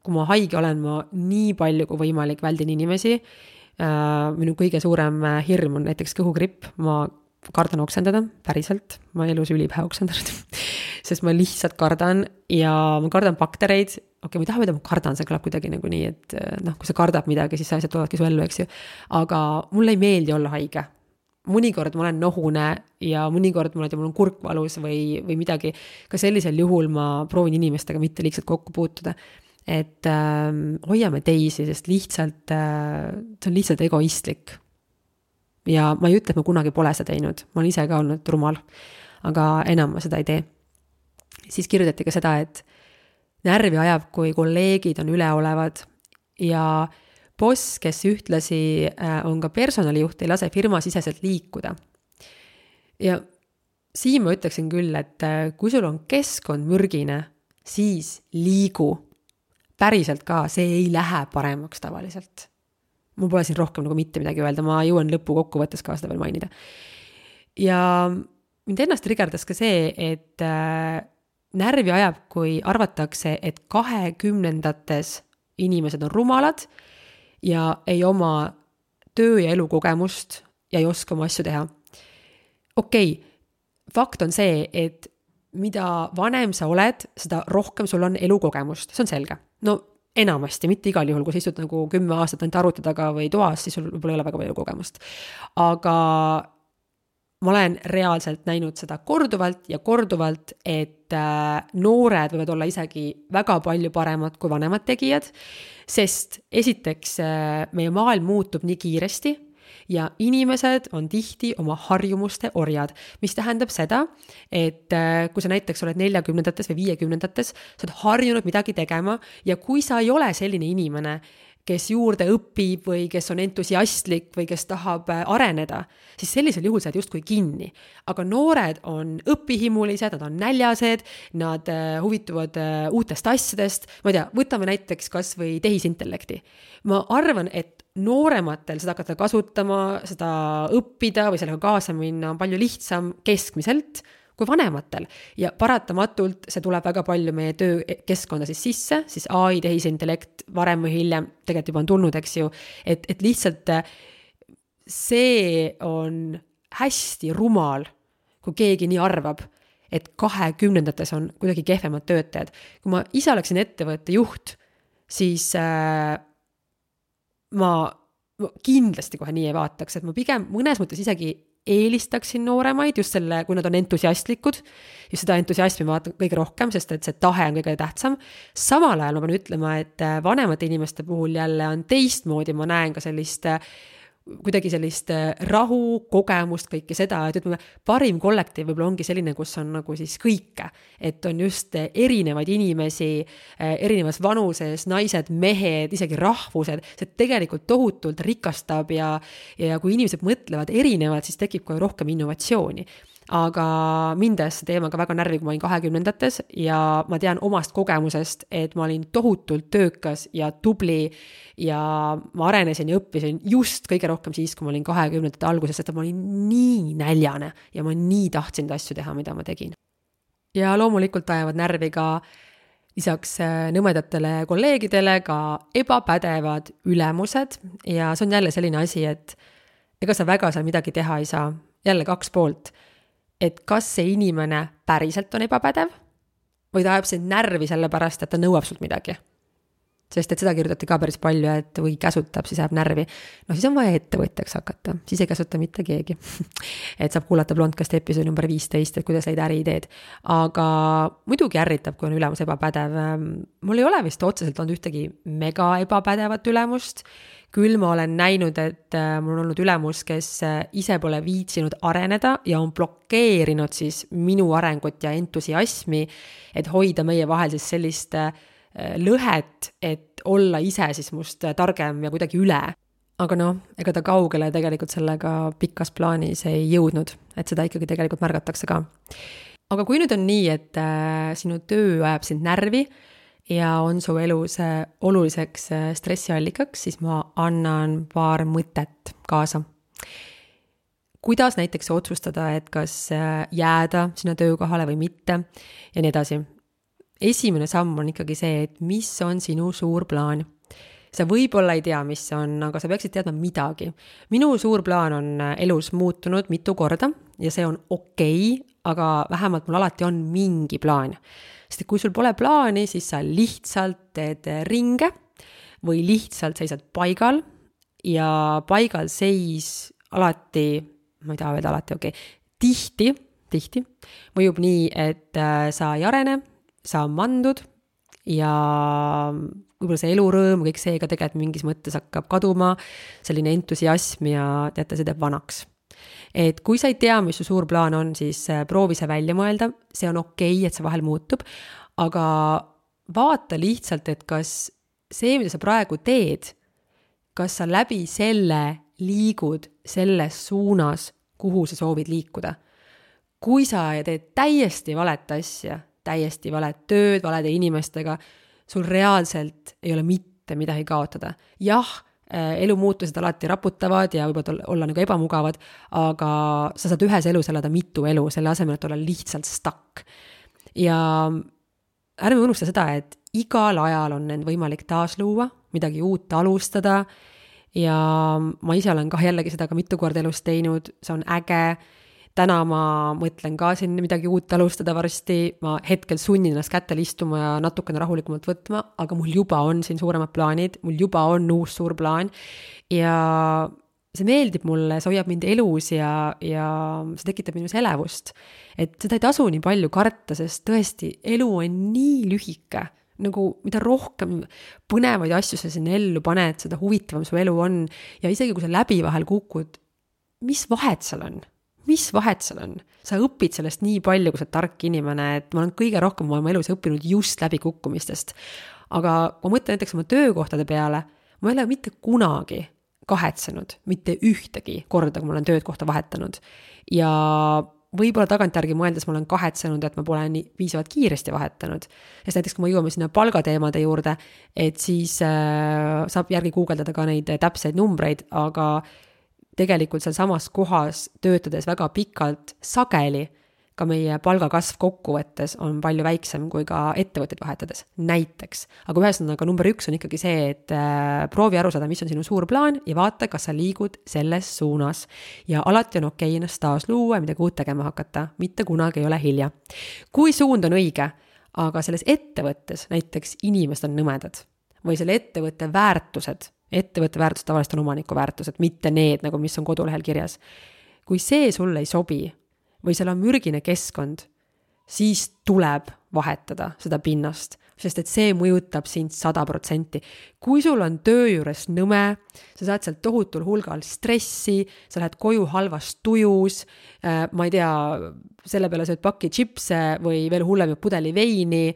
kui ma haige olen, ma nii palju kui võimalik väldin inimesi. Minu kõige suurem hirm on näiteks kõhugripp. Ma kardan oksendada, päriselt. Ma elus ülipähe oksendanud, sest ma lihtsalt kardan ja ma kardan baktereid. Okei, ma ei taha mida ma kardan, see kõlab kuidagi nagu nii, et kui sa kardab midagi, siis sa asjad tulevadki su ellu, eks ju. Aga mulle ei meeldi olla haige. Mõnikord ma olen nohune ja mõnikord mul on kurkvalus või midagi. Ka sellisel juhul ma proovin inimestega mitte liigselt kokku puutuda. Et hoiame teisi, sest lihtsalt, see on lihtsalt egoistlik. Ja ma ei ütle, et ma kunagi pole seda teinud. Ma olen ise ka olnud rumal, aga enam ma seda ei tee. Siis kirjutati ka seda, et närvi ajab, kui kolleegid on üleolevad ja boss, kes ühtlasi on ka personalijuht, ei lase firma siseselt liikuda. Ja siin ma ütleksin küll, et kui sul on keskkond mürgine, siis liigu. Päriselt ka, see ei lähe paremaks tavaliselt. Mul pole siin rohkem nagu mitte midagi öelda, ma jõuan lõppu kokkuvõttes ka seda veel mainida. Ja mind ennast triggerdas ka see, et närvi ajab, kui arvatakse, et 20-ndates inimesed on rumalad ja ei oma töö- ja elukogemust ja ei oska oma asju teha. Okei, fakt on see, et mida vanem sa oled, seda rohkem sul on elukogemust, see on selge. No enamasti, mitte igal juhul, kui sa istud nagu 10 aastat ainult arvuti taga või toas, siis sul võib-olla ei ole väga palju kogemust. Aga ma olen reaalselt näinud seda korduvalt ja korduvalt, et noored võivad olla isegi väga palju paremad kui vanemad tegijad, sest esiteks meie maailm muutub nii kiiresti ja inimesed on tihti oma harjumuste orjad, mis tähendab seda, et kui sa näiteks oled 40-ndates või 50-ndates, sa oled harjunud midagi tegema ja kui sa ei ole selline inimene, kes juurde õpib või kes on entusiastlik või kes tahab areneda, siis sellisel juhul sa oled justkui kinni. Aga noored on õpihimulised, nad on näljased, nad huvituvad uutest asjadest. Ma ei tea, võtame näiteks kas või tehisintellekti. Ma arvan, et noorematel seda hakata kasutama, seda õppida või sellega kaasa minna on palju lihtsam keskmiselt kui vanematel. Ja paratamatult see tuleb väga palju meie töökeskkonda sisse, siis AI, tehisintellekt varem või hiljem tegelikult juba on tulnud, eks ju, et lihtsalt see on hästi rumal, kui keegi nii arvab, et 20-ndates on kuidagi kehvemad töötajad. Kui ma ise oleksin ettevõtte juht, siis ma kindlasti kohe nii ei vaataks, et ma pigem mõnes mõttes isegi eelistaksin nooremaid just selle, kui nad on entusiastlikud, just seda entusiasmi vaatan kõige rohkem, sest et see tahe on kõige tähtsam. Samal ajal ma pean ütlema, et vanemate inimeste puhul jälle on teistmoodi, ma näen ka sellist kuidagi sellist rahu, kogemust, kõike seda, et ütleme, parim kollektiiv võib-olla ongi selline, kus on nagu siis kõike, et on just erinevaid inimesi, erinevas vanuses, naised, mehed, isegi rahvused, see tegelikult tohutult rikastab ja kui inimesed mõtlevad erinevad, siis tekib ka rohkem innovatsiooni. aga mind ajas see teemaga väga närvi, kui ma olin 20-ndates ja ma tean omast kogemusest, et ma olin tohutult töökas ja tubli ja ma arenesin ja õppisin just kõige rohkem siis, kui ma olin 20-ndate alguses, sest ma olin nii näljane ja ma nii tahtsin asju teha, mida ma tegin. Ja loomulikult ajavad närvi ka lisaks nõmedatele kolleegidele ka ebapädevad ülemused ja see on jälle selline asi, et ega sa väga seal midagi teha ei saa. Jälle 2 poolt, et kas see inimene päriselt on ebapädev või ta ajab sind närvi selle pärast, et ta nõuab sult midagi. Sest et seda kirjutati ka päris palju, et või käsutab, siis ajab närvi. No siis on vaja ettevõtjaks hakata, siis ei käsuta mitte keegi. Et saab kuulata Blondcasti episoodi number 15, et kuidas leida äriideed. Aga muidugi ärritab, kui on ülemus ebapädev. Mul ei ole vist otseselt olnud ühtegi mega ebapädevat ülemust. Küll ma olen näinud, et mul on olnud ülemus, kes ise pole viitsinud areneda ja on blokeerinud siis minu arengut ja entusiasmi, et hoida meie vahel siis sellist lõhet, et olla ise siis must targem ja kuidagi üle. Aga ega ta kaugele tegelikult sellega pikas plaanis ei jõudnud, et seda ikkagi tegelikult märgatakse ka. Aga kui nüüd on nii, et sinu töö ajab sind närvi ja on su elus oluliseks stressiallikaks, siis ma annan paar mõtet kaasa. Kuidas näiteks otsustada, et kas jääda sinna töökohale või mitte ja nii edasi. Esimene samm on ikkagi see, et mis on sinu suur plaan. Sa võib-olla ei tea, mis on, aga sa peaksid teadma midagi. Minu suur plaan on elus muutunud mitu korda ja see on okei, aga vähemalt mul alati on mingi plaan. Sest kui sul pole plaani, siis sa lihtsalt teed ringe või lihtsalt seisad paigal ja paigal seis alati, ma ei taha öelda alati, tihti mõjub nii, et sa ei arene, sa mandud ja võib-olla see elurõõm, kõik see ka tegelikult mingis mõttes hakkab kaduma, selline entusiasm ja teate, see teeb vanaks. Et kui sa ei tea, mis su suur plaan on, siis proovi see välja mõelda, see on okei, et see vahel muutub, aga vaata lihtsalt, et kas see, mida sa praegu teed, kas sa läbi selle liigud selles suunas, kuhu sa soovid liikuda. Kui sa teed täiesti valet asja, täiesti valet tööd, valede inimestega, sul reaalselt ei ole mitte midagi kaotada. Jah, elumuutused alati raputavad ja võivad olla nagu ebamugavad, aga sa saad ühes elus elada mitu elu, selle asemel, et olla lihtsalt stuck. Ja ärme unusta seda, et igal ajal on end võimalik taas luua, midagi uut alustada ja ma ise olen ka jällegi seda ka mitu korda elus teinud, see on äge. Täna ma mõtlen ka siin midagi uut alustada varsti, ma hetkel sunnin ennast kätel istuma ja natukene rahulikumalt võtma, aga mul juba on siin suuremad plaanid, mul juba on uus suur plaan ja see meeldib mulle, see hoiab mind elus ja see tekitab minus elevust. Et seda ei tasu nii palju karta, sest tõesti elu on nii lühike, nagu mida rohkem põnevaid asju sa sinna ellu paned, seda huvitavam su elu on ja isegi kui sa läbi vahel kukud, mis vahet seal on? Mis vahet seal on? Sa õpid sellest nii palju, kui sa tark inimene, et ma olen kõige rohkem oma elus õppinud just läbi kukkumistest. Aga kui ma mõtlen näiteks oma töökohtade peale, ma ei ole mitte kunagi kahetsenud, mitte ühtegi korda, kui ma olen töökohta vahetanud. Ja võib-olla tagantjärgi mõeldes ma olen kahetsenud, et ma pole nii piisavalt kiiresti vahetanud. Sest näiteks, kui ma jõuame sinna palgateemade juurde, et siis saab järgi guugeldada ka neid täpseid numbreid, aga tegelikult seal samas kohas töötades väga pikalt sageli ka meie palgakasv kokkuvõttes on palju väiksem kui ka ettevõtteid vahetades, näiteks. Aga ühesõnaga number 1 on ikkagi see, et proovi aru saada, mis on sinu suur plaan ja vaata, kas sa liigud selles suunas. Ja alati on okei ennast taas luua ja midagi uut tegema hakata, mitte kunagi ei ole hilja. Kui suund on õige, aga selles ettevõttes näiteks inimesed on nõmedad või selle ettevõtte väärtused tavaliselt on omaniku väärtused, mitte need, nagu mis on kodulehel kirjas. Kui see sulle ei sobi või seal on mürgine keskkond, siis tuleb vahetada seda pinnast, sest et see mõjutab sind 100%. Kui sul on töö juures nõme, sa saad sealt tohutul hulgal stressi, sa lähed koju halvas tujus, ma ei tea, selle peale sööd paki chipse või veel hullem pudeli veini,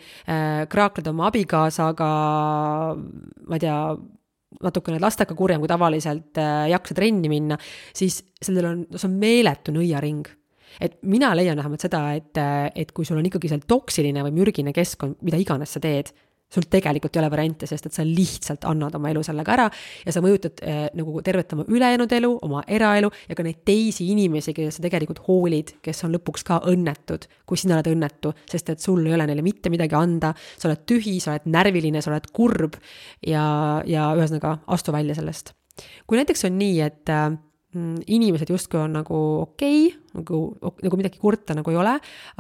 kraakled oma abikaasaga, ma ei tea, natukene lastega kurjem, kui tavaliselt jaksa trenni minna, siis see on meeletu nõiaring. et mina leian vähemalt seda, et kui sul on ikkagi seal toksiline või mürgine keskkond, mida iganes sa teed, sul tegelikult ei ole variante, sest et sa lihtsalt annad oma elu sellega ära ja sa mõjutad nagu tervet oma ülejäänud elu, oma eraelu ja ka neid teisi inimesi, kes sa tegelikult hoolid, kes on lõpuks ka õnnetud, kui sina oled õnnetu, sest et sul ei ole neile mitte midagi anda, sa oled tühi, sa oled närviline, sa oled kurb ja ühesõnaga astu välja sellest. Kui näiteks on nii, et inimesed justkui on nagu okei, nagu midagi kurta nagu ei ole,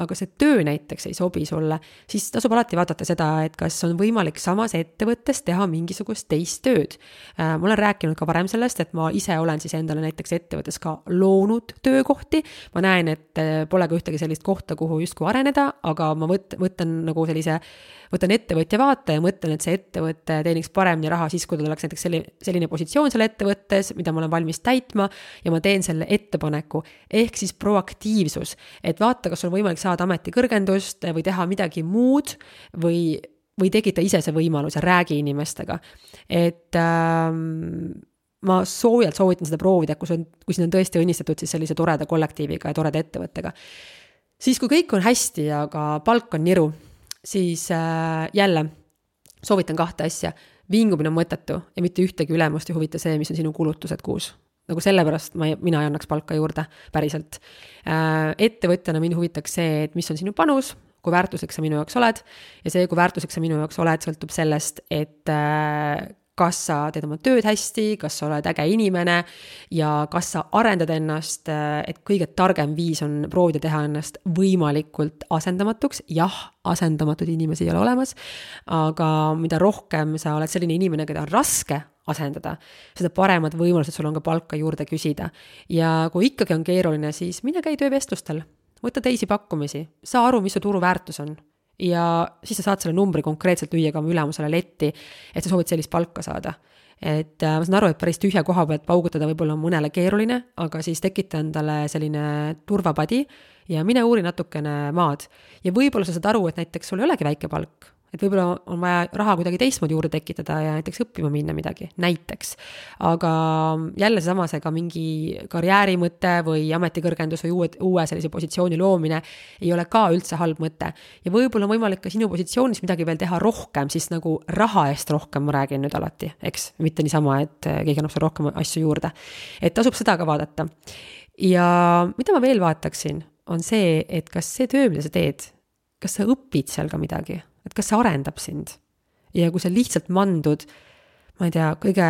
aga see töö näiteks ei sobi sulle, siis tasub alati vaadata seda, et kas on võimalik samas ettevõttes teha mingisugust teist tööd. Ma olen rääkinud ka varem sellest, et ma ise olen siis endale näiteks ettevõttes ka loonud töökohti. Ma näen, et pole ka ühtegi sellist kohta, kuhu justkui areneda, aga ma võtan ettevõtja vaate ja mõtlen, et see ettevõte teeniks paremini raha siis, kui tal oleks näiteks selline positsioon seal ettevõttes, mida ma olen valmis täitma ja ma teen selle ettepaneku. Ehk siis proaktiivsus, et vaata, kas on võimalik saada ametikõrgendust või teha midagi muud või tegita ise see võimalus ja räägi inimestega. Et ma soojalt soovitan seda proovida, kui siin on tõesti õnnistatud siis sellise toreda kollektiiviga ja toreda ettevõttega. Siis kui kõik on hästi, aga palk on niru, siis jälle soovitan 2 asja. Vingumine on mõttetu ja mitte ühtegi ülemust ei huvita see, mis on sinu kulutused kuus. Nagu sellepärast mina ei annaks palka juurde päriselt. Ettevõtjana mind huvitaks see, et mis on sinu panus, kui väärtuslik sa minu jaoks oled ja see, kui väärtuslik sa minu jaoks oled, sõltub sellest, et kas sa teed oma tööd hästi, kas sa oled äge inimene ja kas sa arendad ennast, et kõige targem viis on proovida teha ennast võimalikult asendamatuks. Jah, asendamatud inimesi ei ole olemas, aga mida rohkem sa oled selline inimene, keda on raske asendada, seda paremad võimalused sul on ka palka juurde küsida. Ja kui ikkagi on keeruline, siis mine käi töövestlustel, võta teisi pakkumisi, saa aru, mis su turuväärtus on. Ja siis sa saad selle numbri konkreetselt lüüa ka oma ülemusele letti, et sa soovid sellist palka saada. Et ma saan aru, et päris tühja koha pealt paugutada võib-olla on mõnele keeruline, aga siis tekita endale selline turvapadi ja mine uuri natukene maad. Ja võib-olla sa saad aru, et näiteks sul ei olegi väike palk, et võib-olla on vaja raha kuidagi teistmoodi juurde tekitada ja näiteks õppima minna midagi, näiteks. Aga jälle samasega mingi karjäärimõte või ametikõrgendus või uue sellise positsiooni loomine ei ole ka üldse halb mõte. Ja võib-olla on võimalik ka sinu positsioonis midagi veel teha rohkem, siis nagu raha eest rohkem ma räägin nüüd alati, eks? Mitte niisama, et keegi annab sulle rohkem asju juurde. Et tasub seda ka vaadata. Ja mida ma veel vaataksin, on see, et kas see töö, mida sa teed, kas sa õpid seal ka midagi? Et kas see arendab sind ja kui sa lihtsalt mandud, ma ei tea, kõige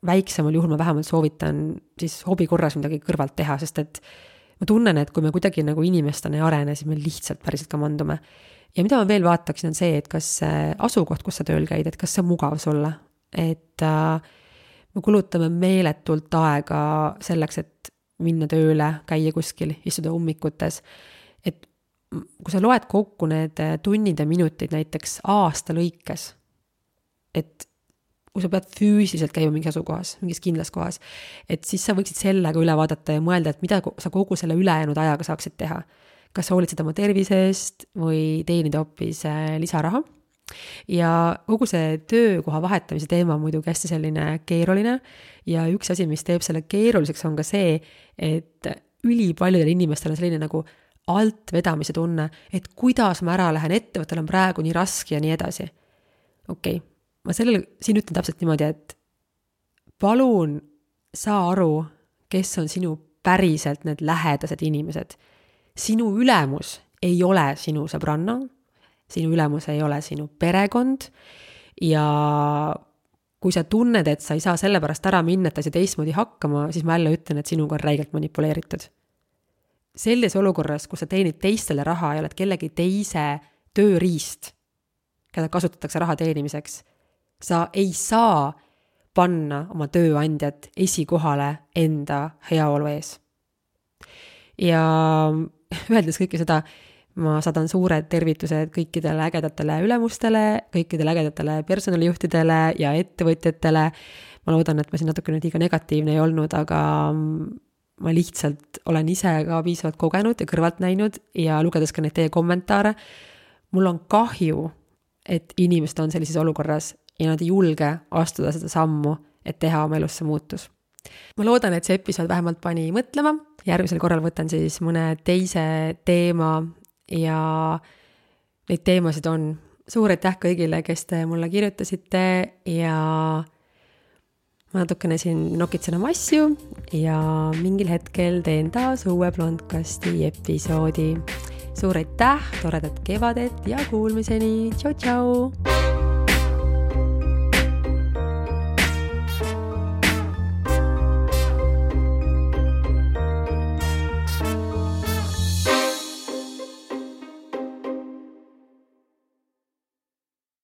väiksemal juhul ma vähemalt soovitan siis hobi korras midagi kõrvalt teha, sest et ma tunnen, et kui me kuidagi nagu inimestena ei arene, siis me lihtsalt päriselt ka mandume. Ja mida ma veel vaataksin on see, et kas asukoht, kus sa tööl käid, et kas see on mugav sulle, et me kulutame meeletult aega selleks, et minna tööle, käia kuskil, istuda ummikutes, et kui sa loed kokku need tunnid ja minutid näiteks aasta lõikes, et kui sa pead füüsiliselt käima mingis asukohas, mingis kindlas kohas, et siis sa võiksid sellega üle vaadata ja mõelda, et mida sa kogu selle ülejäänud ajaga saaksid teha. Kas sa hoolitsed oma tervisest või teenida hoopis lisaraha. Ja kogu see töökoha vahetamise teema on muidugi hästi selline keeruline ja üks asi, mis teeb selle keeruliseks, on ka see, et ülipaljudel inimestel on selline nagu alt vedamise tunne, et kuidas ma ära lähen, ettevõttel on praegu nii raske ja nii edasi. Okei, ma siin ütlen täpselt niimoodi, et palun saa aru, kes on sinu päriselt need lähedased inimesed. Sinu ülemus ei ole sinu sõbranna, sinu ülemus ei ole sinu perekond ja kui sa tunned, et sa ei saa selle pärast ära minna, et ta ei teistmoodi hakkama, siis ma jälle ütlen, et sinuga on räigelt manipuleeritud. Selles olukorras, kus sa teenid teistele raha ja oled kellegi teise tööriist, keda kasutatakse raha teenimiseks, sa ei saa panna oma tööandjat esikohale enda heaolu ees. Ja öeldes kõike seda, ma saadan suured tervitused kõikidele ägedatele ülemustele, kõikidele ägedatele personalijuhtidele ja ettevõtjatele. Ma loodan, et ma siin natuke liiga negatiivne ei olnud, aga ma lihtsalt olen ise ka piisavalt kogenud ja kõrvalt näinud ja lugedes ka neid teie kommentaare. Mul on kahju, et inimesed on sellises olukorras ja nad ei julge astuda seda sammu, et teha oma elusse muutus. ma loodan, et see episood vähemalt pani mõtlema, järgmisel korral võtan siis mõne teise teema ja neid teemasid on. Suur aitäh kõigile, kes te mulle kirjutasite ja ma natukene siin nokitsen oma asju ja mingil hetkel teen taas uue Blondcasti episoodi. Suur aitäh, toredat kevadet ja kuulmiseni. Tšau, tšau!